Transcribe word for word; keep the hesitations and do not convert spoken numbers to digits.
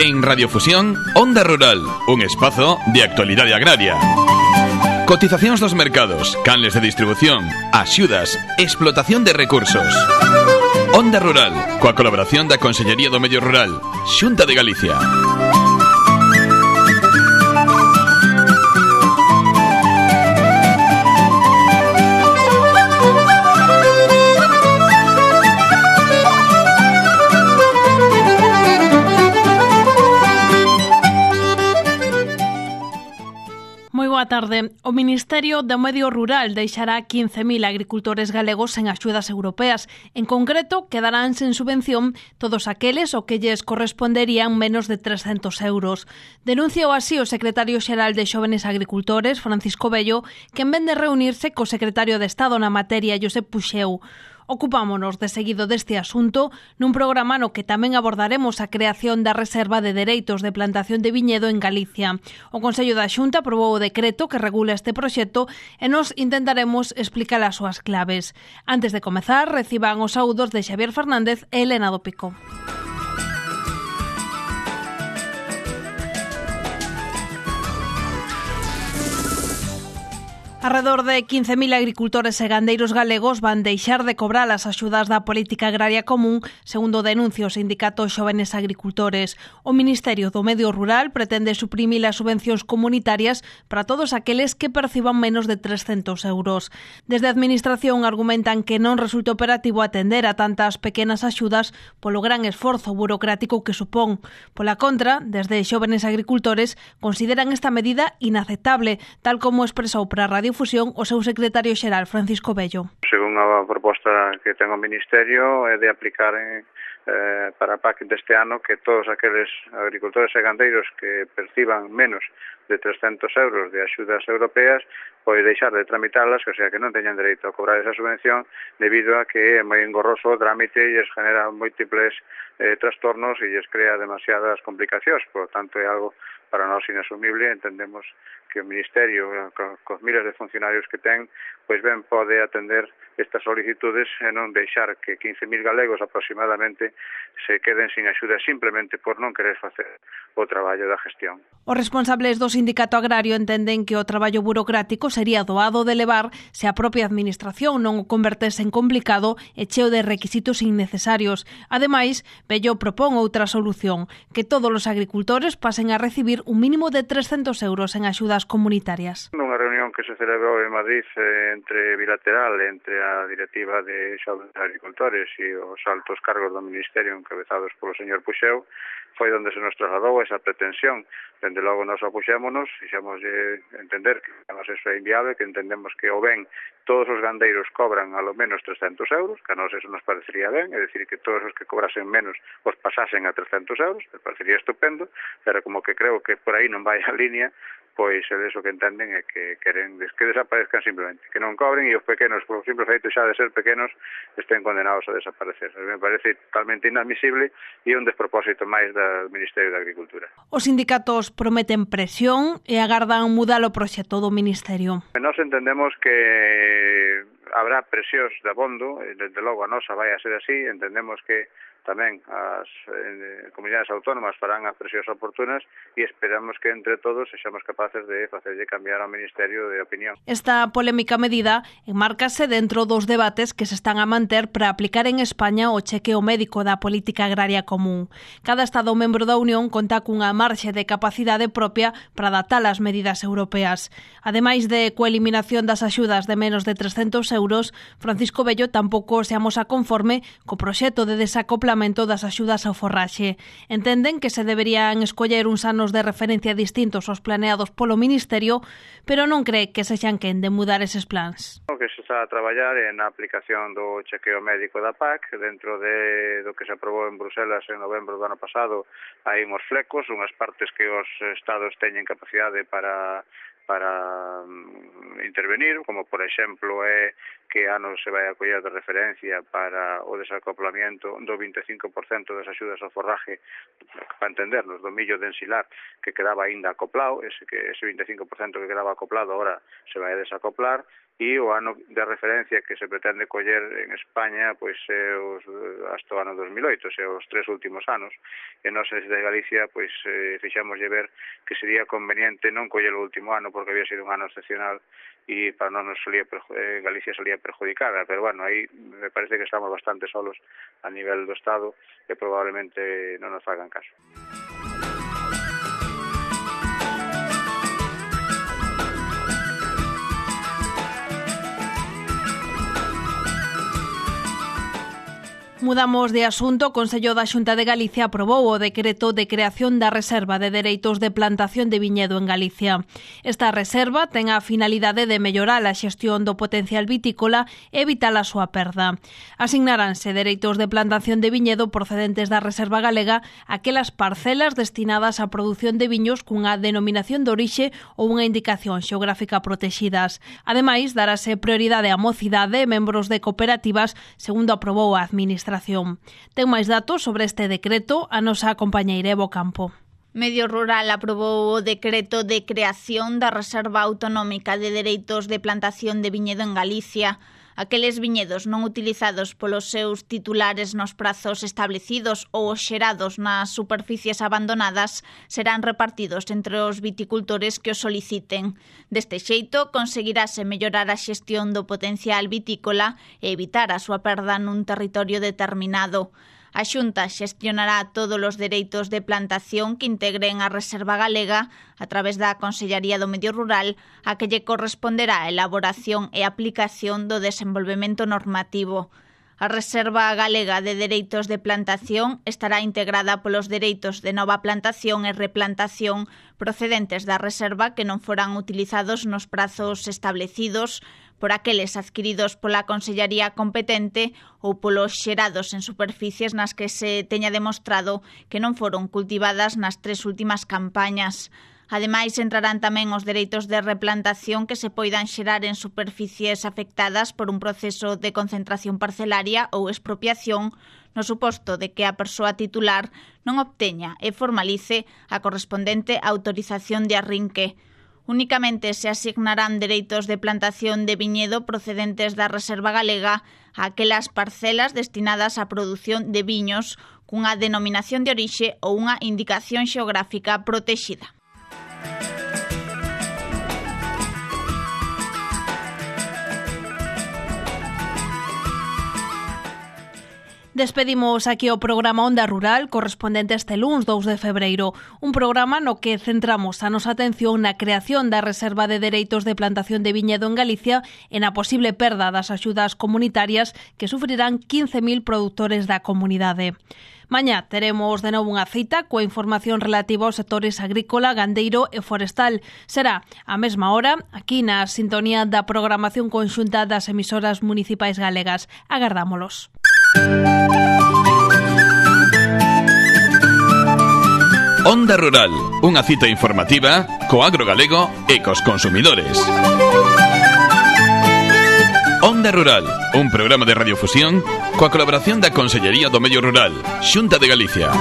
En Radiofusión, Onda Rural, un espazo de actualidade agraria. Cotizacións dos mercados, canles de distribución, axudas, explotación de recursos. Onda Rural, coa colaboración da Consellería do Medio Rural, Xunta de Galicia. Boa tarde. O Ministerio do Medio Rural deixará quince mil agricultores galegos sen axudas europeas. En concreto, quedarán sen subvención todos aqueles o que lles corresponderían menos de trescentos euros. Denunciou así o secretario xeral de Xóvenes Agricultores, Francisco Bello, que en vez de reunirse co secretario de Estado na materia, Josep Puxeu. Ocupámonos de seguido deste asunto nun programa no que tamén abordaremos a creación da Reserva de Dereitos de Plantación de Viñedo en Galicia. O Consello da Xunta aprobou o decreto que regula este proxecto e nos intentaremos explicar as súas claves. Antes de comezar, reciban os saúdos de Xavier Fernández e Elena do Pico. Arredor de quince mil agricultores e gandeiros galegos van deixar de cobrar as axudas da Política Agraria Común, segundo denuncia o sindicato Xóvenes Agricultores. O Ministerio do Medio Rural pretende suprimir as subvencións comunitarias para todos aqueles que perciban menos de trescentos euros. Desde a Administración argumentan que non resulta operativo atender a tantas pequenas axudas polo gran esforzo burocrático que supón. Pola contra, desde Xóvenes Agricultores consideran esta medida inaceptable, tal como expresou para a Radio Fusión o seu secretario xeral, Francisco Bello. Según a proposta que ten o Ministerio, é de aplicar en, eh, para a P A C deste ano que todos aqueles agricultores e gandeiros que perciban menos de trescentos euros de axudas europeas pois deixar de tramitalas, o sea que non teñan dereito a cobrar esa subvención debido a que é moi engorroso o trámite e lles genera múltiples eh, trastornos e lles crea demasiadas complicacións. Por lo tanto, é algo para nós inasumible. Entendemos que o Ministerio, cos miles de funcionarios que ten, pois ben pode atender estas solicitudes e non deixar que quince mil galegos aproximadamente se queden sin axuda simplemente por non querer facer o traballo da gestión. Os responsables do Sindicato Agrario entenden que o traballo burocrático sería doado de levar se a propia Administración non o convertese en complicado e cheo de requisitos innecesarios. Ademais, Bello propón outra solución, que todos os agricultores pasen a recibir un mínimo de trescentos euros en axudas comunitarias. Nunha reunión que se celebrou en Madrid eh, entre bilateral entre a directiva de Xóvenes Agricultores e os altos cargos do Ministerio encabezados polo señor Puxeu, foi onde se nos trasladou esa pretensión. Dende logo nos opuxémonos, fixemos entender que a nos eso é inviable, que entendemos que o ben todos os gandeiros cobran a lo menos trescentos euros, que a nos eso nos parecería ben, é dicir, que todos os que cobrasen menos os pasasen a trescentos euros, me parecería estupendo, pero como que creo que por aí non vai a línea, pois eles o que entenden é que queren que desaparezcan simplemente, que non cobren e os pequenos, por simple feito xa de ser pequenos, estén condenados a desaparecer. Me parece totalmente inadmisible e un despropósito máis do Ministerio de Agricultura. Os sindicatos prometen presión e agardan mudar o proxecto do Ministerio. Nós entendemos que habrá presións de abondo, e desde logo a nosa vai a ser así, entendemos que tamén as eh, comunidades autónomas farán as presións oportunas e esperamos que entre todos sexamos capaces de facerlle cambiar ao Ministerio de opinión. Esta polémica medida enmárcase dentro dos debates que se están a manter para aplicar en España o chequeo médico da Política Agraria Común. Cada Estado membro da Unión conta cunha marxe de capacidade propia para adaptar as medidas europeas. Ademais de coa eliminación das axudas de menos de trescentos euros, Francisco Bello tampouco se amosa conforme co proxecto de desacoplamento das axudas ao forraxe. Entenden que se deberían escoller uns anos de referencia distintos aos planeados polo Ministerio, pero non cree que sexan quen de mudar eses plans. O que se está a traballar é na aplicación do chequeo médico da P A C, dentro de do que se aprobou en Bruselas en novembro do ano pasado, hai uns flecos, unhas partes que os estados teñen capacidade para para um, intervenir, como por exemplo é que ano se vai a coller de referencia para o desacoplamiento do vinte e cinco por cento das axudas ao forraje, para entendernos, do millo de ensilar que quedaba aínda acoplado, ese, que, ese vinte e cinco por cento que quedaba acoplado ahora se vai a desacoplar, e o ano de referencia que se pretende coller en España pois é os, hasta o ano dos mil oito, se os tres últimos anos, e nós desde Galicia pois eh, fixámoslle ver que sería conveniente non coller o último ano porque había sido un ano excepcional e para non nos solía, eh, Galicia solía perjudicada, pero bueno, aí me parece que estamos bastante solos a nivel do Estado e probablemente non nos fagan caso. Mudamos de asunto. O Consello da Xunta de Galicia aprobou o decreto de creación da Reserva de Dereitos de Plantación de Viñedo en Galicia. Esta reserva ten a finalidade de mellorar a xestión do potencial vitícola e evitar a súa perda. Asignaránse dereitos de plantación de viñedo procedentes da Reserva Galega aquelas parcelas destinadas á produción de viños cunha denominación de orixe ou unha indicación xeográfica protexidas. Ademais, darase prioridade á mocidade e membros de cooperativas, segundo aprobou a Administración. Ten máis datos sobre este decreto a nosa compañeira Evo Campo. Medio Rural aprobou o decreto de creación da Reserva Autonómica de Dereitos de Plantación de Viñedo en Galicia. Aqueles viñedos non utilizados polos seus titulares nos prazos establecidos ou xerados nas superficies abandonadas serán repartidos entre os viticultores que o soliciten. Deste xeito, conseguirase mellorar a xestión do potencial vitícola e evitar a súa perda nun territorio determinado. A Xunta xestionará todos os dereitos de plantación que integren a Reserva Galega a través da Consellaría do Medio Rural, a que lle corresponderá a elaboración e aplicación do desenvolvemento normativo. A Reserva Galega de Dereitos de Plantación estará integrada polos dereitos de nova plantación e replantación procedentes da reserva que non foran utilizados nos prazos establecidos, por aqueles adquiridos pola Consellaría competente ou polos xerados en superficies nas que se teña demostrado que non foron cultivadas nas tres últimas campañas. Ademais, entrarán tamén os dereitos de replantación que se poidan xerar en superficies afectadas por un proceso de concentración parcelaria ou expropiación, no suposto de que a persoa titular non obteña e formalice a correspondente autorización de arrinque. Únicamente se asignarán dereitos de plantación de viñedo procedentes da Reserva Galega a aquelas parcelas destinadas á produción de viños cunha denominación de orixe ou unha indicación xeográfica protexida. Despedimos aquí o programa Onda Rural correspondente este luns dous de febreiro, un programa no que centramos a nosa atención na creación da Reserva de Dereitos de Plantación de Viñedo en Galicia e na posible perda das axudas comunitarias que sufrirán quince mil produtores da comunidade. Mañá teremos de novo unha cita coa información relativa aos sectores agrícola, gandeiro e forestal. Será á mesma hora aquí na sintonía da programación conxunta das emisoras municipais galegas. Agardámolos. Onda Rural, unha cita informativa co agro galego e cos consumidores. Onda Rural, un programa de radiofusión coa colaboración da Consellería do Medio Rural, Xunta de Galicia.